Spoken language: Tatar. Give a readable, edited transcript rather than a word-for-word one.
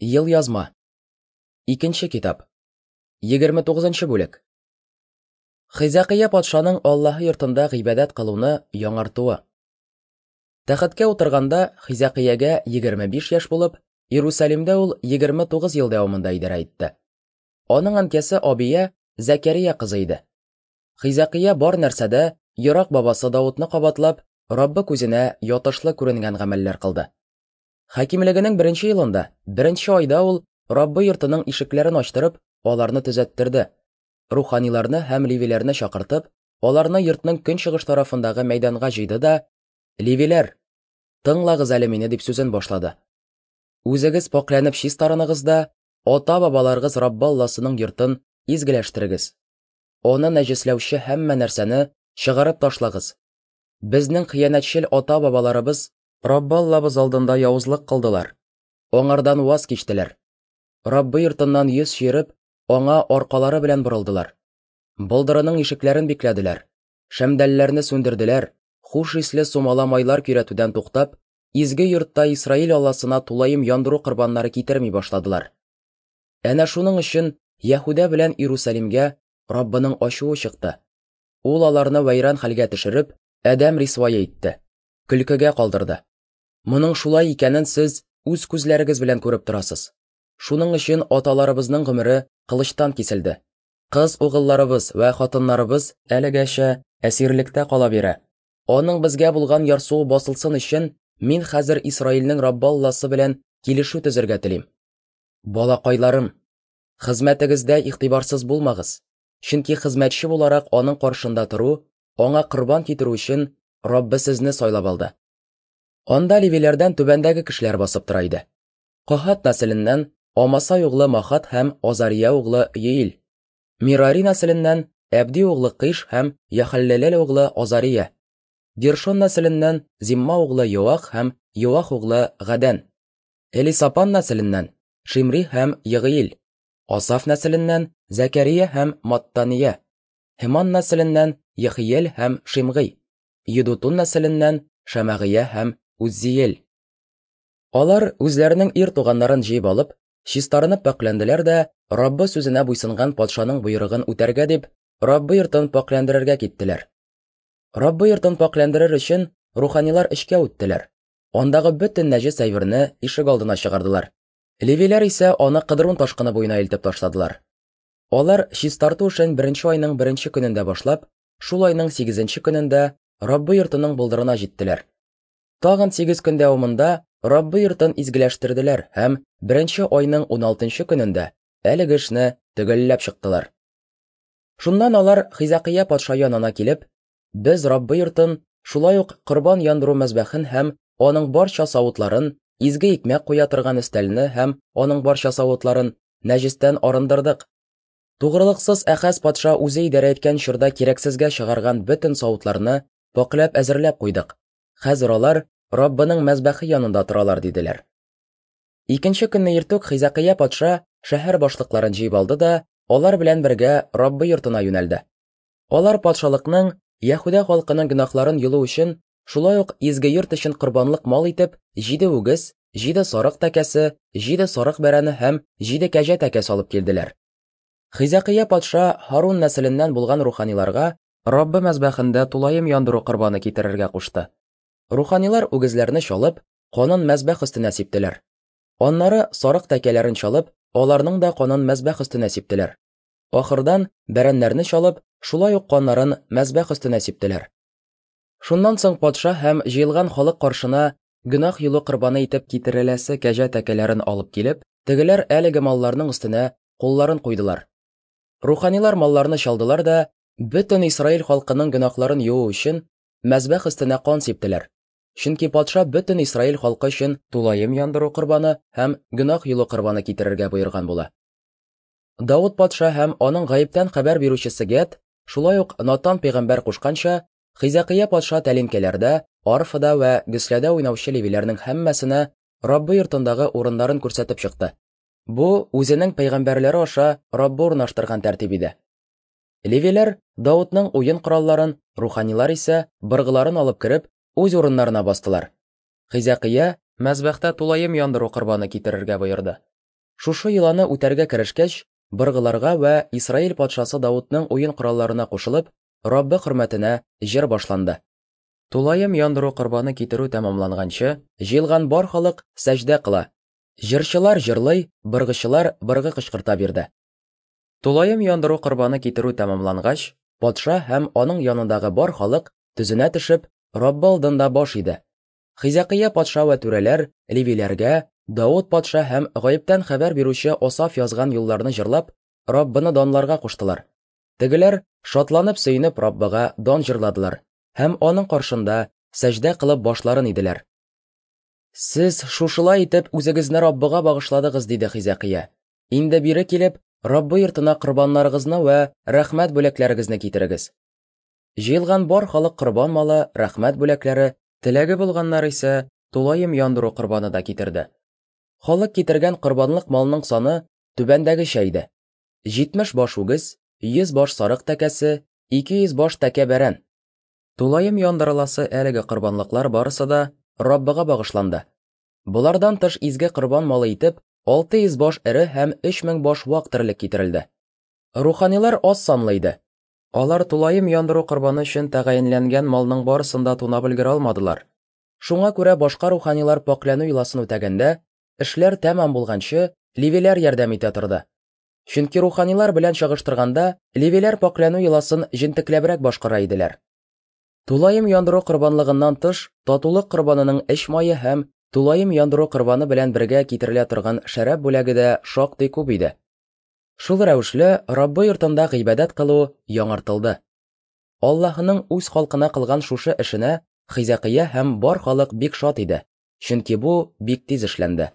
Елъязма. Икенче китап. 29 бүлек. Хизәкыя патшаның Аллаһы йортында гыйбадәт кылуны яңартуы. Тәхеткә утырганда Хизәкыягә 25 яшь булып, Иерусалимдә ул 29 ел дәвамында идарә итте. Аның әнкәсе Абия Зәкәрия кызы иде. Хизәкыя бар нәрсәдә ерак бабасы Давытны кабатлап, Раббы күзенә ятышлы күренгән гамәлләр кылды. Хакимлегенең беренче елында, беренче айда ул Раббы йортының ишекләрен ачтырып, аларны төзәттерде. Руханиларны һәм левиләрне чакыртып, аларны йортның көнчыгыш тарафындагы мәйданга җыйды да, «Левиләр, тыңлагыз әле мине», дип сүзен башлады. Үзегез пакьләнеп чистарыныгыз да, ата-бабаларыгыз Раббы Алласының йортын изгеләштерегез. Аны нәҗесләүче һәммә нәрсәне чыгарып ташлагыз. Безнең хыянәтчел ата-бабаларыбыз Раббы Аллабыз алдында явызлык кылдылар, аңардан ваз кичтеләр. Раббы йортыннан йөз чөереп, аңа аркалары белән борылдылар. Болдырының ишекләрен бикләделәр, шәмдәлләрне сүндерделәр, хуш исле сумала майлар көйрәтүдән туктап, изге йортта Исраил Алласына тулаем яндыру корбаннары китерми башладылар. Әнә шуның өчен Яһүдә белән Иерусалимгә Раббының ачуы чыкты. Ул аларны вәйран хәлгә төшереп, адәм рисвае итте, көлкегә калдырды. Моның шулай икәнен сез үз күзләрегез белән күреп торасыз. Шуның өчен аталарыбызның гомере кылычтан киселде. Кыз угылларыбыз вә хатыннарыбыз әлегәчә әсирлектә кала бирә. Аның безгә булган ярсуы басылсын өчен мин хәзер Исраилнең Раббы Алласы белән килешү төзергә телим. Балакайларым, хезмәтегездә игътибарсыз булмагыз, чөнки хезмәтче буларак аның каршында тору, аңа корбан китерү өчен Раббы сезне сайлап алды. Анда левиләрдән түбәндәге кешеләр басып тора иде. Каһат нәселеннән Амасай углы Махат һәм Азария углы Йеил. Мирари нәселеннән Әбди углы Кыш һәм Яхаллелел углы Азария. Гершон нәселеннән Зимма углы Йоах һәм Йоах углы Гадән. Элисапан нәселеннән Шимри һәм Егыил. Асаф нәселеннән Зәкәрия һәм Маттания. Һеман нәселеннән Ехиел һәм Шимгый. Едутун нәселеннән Шәмәгыя һәм Уззиел. Алар үзләренең ир туганнарын җыеп алып, чистарынып пакьләнделәр дә, Раббы сүзенә буйсынган патшаның боерыгын үтәргә дип, Раббы йортын пакьләндерергә киттеләр. Раббы йортын пакьләндерер өчен руханилар эчкә үттеләр. Андагы бөтен нәҗес әйберне ишек алдына чыгардылар. Левиләр исә аны Кыдрун ташкыны буена илтеп ташладылар. Алар чистарту эшен беренче айның беренче көнендә башлап, шул айның сигезенче көнендә Раббы йортының болдырына җиттеләр. Тагын 8 көн дәвамында Раббы йортын изгеләштерделәр һәм беренче айның 16 көнендә әлеге эшне төгәлләп чыктылар. Шуннан алар Хизәкыя патша янына килеп, без Раббы йортын, шулай ук корбан яндыру мәзбәхен һәм аның барча савытларын, изге икмәк куя торган өстәлне һәм аның барча савытларын нәҗестән арындырдык. Тугрылыксыз Әхәз патша үзе идарә иткән чорда кирәксезгә чыгарган бөтен савытларны пакьләп әзерләп куйдык. Хәзер алар Раббының мәзбәхе янында торалар, диделәр. Икенче көнне иртүк Хизәкыя патша шәһәр башлыкларын җыеп алды да, алар белән бергә Раббы йортына юнәлде. Алар патшалыкның, Яһүдә халкының гөнаһларын йолу өчен, шулай ук изге йорт өчен корбанлык мал итеп, 7 үгез, 7 сарык тәкәсе, 7 сарык бәрәне һәм 7 кәҗә тәкәсе алып килделәр. Хизәкыя патша Һарун нәселеннән булган руханиларга Раббы мәзбәхендә тулаем яндыру корбаны китерергә кушты. Руханилар үгезләрне чалып, канын мәзбәх өстенә сиптеләр. Аннары сарык тәкәләрен чалып, аларның да канын мәзбәх өстенә сиптеләр. Ахырдан бәрәннәрне чалып, шулай ук каннарын мәзбәх өстенә сиптеләр. Шуннан соң патша һәм җыелган халык каршына гөнаһ юлы корбаны итеп китереләсе кәҗә тәкәләрен алып килеп, тегеләр әлеге малларның өстенә кулларын куйдылар. Руханилар малларны чалдылар да, бөтен Исраил халкының гөнаһларын юу өчен мәзбәх өстенә кан сиптеләр. Чөнки патша бөтен Исраил халкы өчен тулаем яндыру корбаны һәм гөнаһ юлы корбаны китерергә боерган була. Давыт патша һәм аның гаептән хәбәр бирүчесе Гәд, шулай ук Натан пәйгамбәр кушканча, Хизәкыя патша тәлинкәләрдә, арфада вә гөсләдә уйнаучы левиләрнең һәммәсенә Раббы йортындагы урыннарын күрсәтеп чыкты. Бу үзенең пәйгамбәрләре аша Раббы урнаштырган тәртип иде. Левиләр Давытның уен коралларын, руханилар исә быргыларын алып кереп, үз урыннарына бастылар. Хизәкыя мәзбәхтә тулаем яндыру корбаны китерергә боерды. Шушы йоланы үтәргә керешкәч, быргыларга вә Исраил патшасы Давытның уен коралларына кушылып, Раббы хөрмәтенә җыр башланды. Тулаем яндыру корбаны китерү тәмамланганчы, җыелган бар халык сәҗдә кыла, җырчылар җырлый, быргычылар быргы кычкырта бирде. Тулаем яндыру корбаны китерү тәмамлангач, патша һәм аның янындагы бар халык, төзенә төшеп, Раббы алдында баш иде. Хизәкыя патша вә түрәләр левиләргә Давыт патша һәм гаептән хәбәр бирүче Осаф язган юлларны җырлап, Раббыны данларга куштылар. Тегеләр, шатланып-сөенеп, Раббыга дан җырладылар һәм аның каршында сәҗдә кылып башларын иделәр. Сез шушылай итеп үзегезне Раббыга багышладыгыз, диде Хизәкия. Инде бире килеп, Раббы йортына корбаннарыгызны вә рәхмәт бүләкләрегезне китерегез. Җыелган бар халык корбан малы, рәхмәт бүләкләре, теләге булганнар исә тулаем яндыру корбаны да китерде. Халык китергән корбанлык малның саны түбәндәгечә иде. 70 баш үгез, 100 баш сарык тәкәсе, 200 баш тәкә бәрән. Тулаем яндырыласы әлеге корбанлыклар барысы да Раббыга багышланды. Болардан тыш изге корбан малы итеп 600 баш эре һәм 3000 баш вак терлек китерелде. Руханилар аз санлы иде. Алар тулаем яндыру корбаны өчен тәгаенләнгән малның барысын да тунап өлгерә алмадылар. Шуңа күрә башка руханилар пакьләнү йоласын үтәгәндә, эшләр тәмам булганчы, левиләр ярдәм итә торды. Чөнки руханилар белән чагыштырганда, левиләр пакьләнү йоласын җентекләбрәк башкара иделәр. Тулаем яндыру корбанлыгыннан тыш, татулык корбанының эч мае һәм тулаем яндыру корбаны белән бергә китерелә торган шәраб бүләге дә шактый күп иде. Шул рәвешле Раббы йортында гыйбадәт кылу яңартылды. Аллаһының үз халкына кылган шушы эшенә Хизәкыя һәм бар халык бик шат иде, чөнки бу бик тиз эшләнде.